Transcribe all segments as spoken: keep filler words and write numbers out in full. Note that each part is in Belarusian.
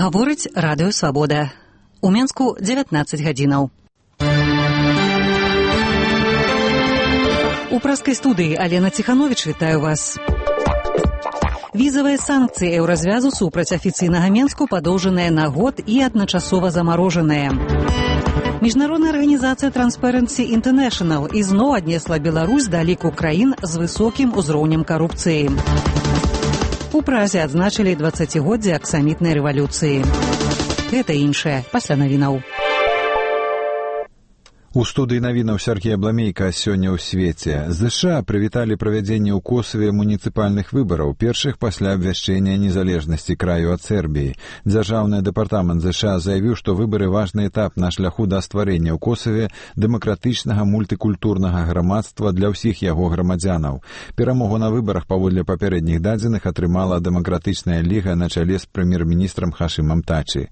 Гаворыць радыё «Свабода». У Менску дзевятнаццаць гадзінаў. У праскай студыі Алена Ціхановіч вітаю вас. Візавыя санкцыі еўразвязу супраць афіцыйнага Менску падоўжаныя на год і адначасова замарожаныя. Міжнародная арганізацыя Transparency International ізноў аднесла Беларусь да ліку краін з высокім узроўнем карупцыі. У Празе адзначылі дваццацігоддзе аксамітнай рэвалюцыі. Гэта іншае пасля навінаў. У студыі навінаў Сяргей Абламейка сёння ў свеце. ЗША прывіталі правядзенне ў Косаве муніцыпальных выбараў, першых пасля абвяшчэння незалежнасці краю ад Сербіі. Дзяржаўны дэпартамент ЗША заявіў, што выбары важны этап на шляху да стварэння ў Косаве дэмакратычнага мультыкультурнага грамадства для ўсіх яго грамадзянаў. Перамогу на выбарах паводле папярэдніх дадзеных атрымала дэмакратычная ліга на чале з прэм'ер-міністрам Хашымам Тачы.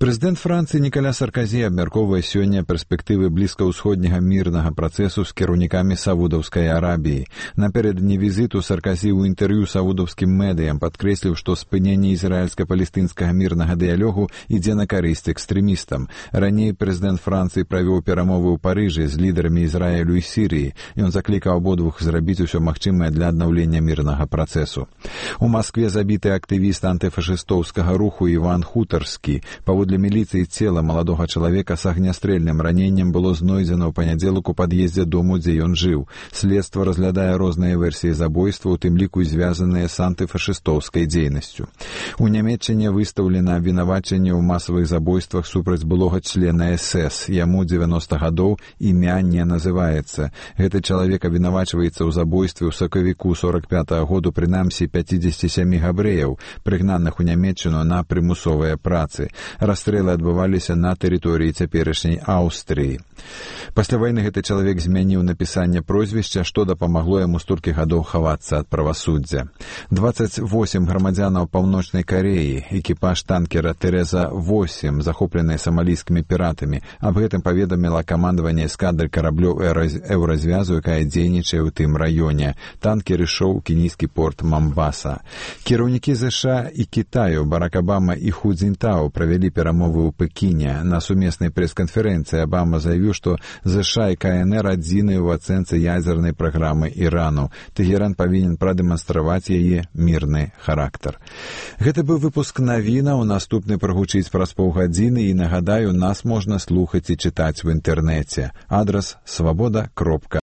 Прэзідэнт Францыі Нікаля Сарказі абмяркоўвае сёння перспектывы блізка ўсходняга мірнага працэсу з кіраўнікамі Саудаўскай Арабіі. Напярэдадні візіту Сарказі ў інтэрв'ю саудаўскім медыям падкрэсліў, што спыненне ізраільска-палестынскага мірнага дыялогу ідзе на карысць экстрэмістам. Раней прэзідэнт Францыі правёў перамовы ў Парыжы з лідарамі Ізраілю і Сірыі. Ён заклікаў абодвух зрабіць усё магчымае для аднаўлення мірнага працэсу. У Маскве забіты актывіст антыфашыстоўскага руху Іван Хутарскі. Паводле міліцыі цела маладога чалавека з агнястрэльным раненнем было знойдзена ў панядзелак у пад'ездзе дому, дзе ён жыў. Следства разглядае розныя версіі забойства, у тым ліку і звязаныя з антыфашыстоўскай дзейнасцю. У Нямецчыне выстаўлена абвінавачанне ў масавых забойствах супраць былога члена эс эс. Яму дзевяноста гадоў, імя не называецца. Гэты чалавек абвінавачваецца ў забойстве ў сакавіку сорак пятага году прынамсі пяцідзесяці сямі габрэяў, прыгнаных у Нямецчыну на прымусовыя працы. Расстрэлы адбываліся на тэрыторыі цяперашняй Аўстрыі. Пасля вайны гэты чалавек змяніў напісанне прозвішча, што дапамагло яму столькі гадоў хавацца ад правасуддзя. дваццаць восем грамадзянаў Паўночнай Кареі, экіпаж танкера Тэрэза восем, захопленыя самалійскімі піратамі. Аб гэтым паведаміла камандаванне эскадры караблёў еўразвязу, якая дзейнічае ў тым раёне. Танкер ішоў у кенійскі порт Мамбаса. Кіраўнікі ЗША і Кітаю Барак Абама і Ху Цзіньтао правялі перамовы ў Пекіне. На сумеснай прэс-канферэнцыі Абама заявіў, што ЗША і КНР адзіныя ў ацэнцы ядзернай праграмы Ірану. Тэгеран павінен прадэманстраваць яе мірны характар. Гэта быў выпуск навінаў. Наступны прагучыць праз паўгадзіны, і нагадаю, нас можна слухаць і чытаць у інтэрнэце. Адрас свабода кропка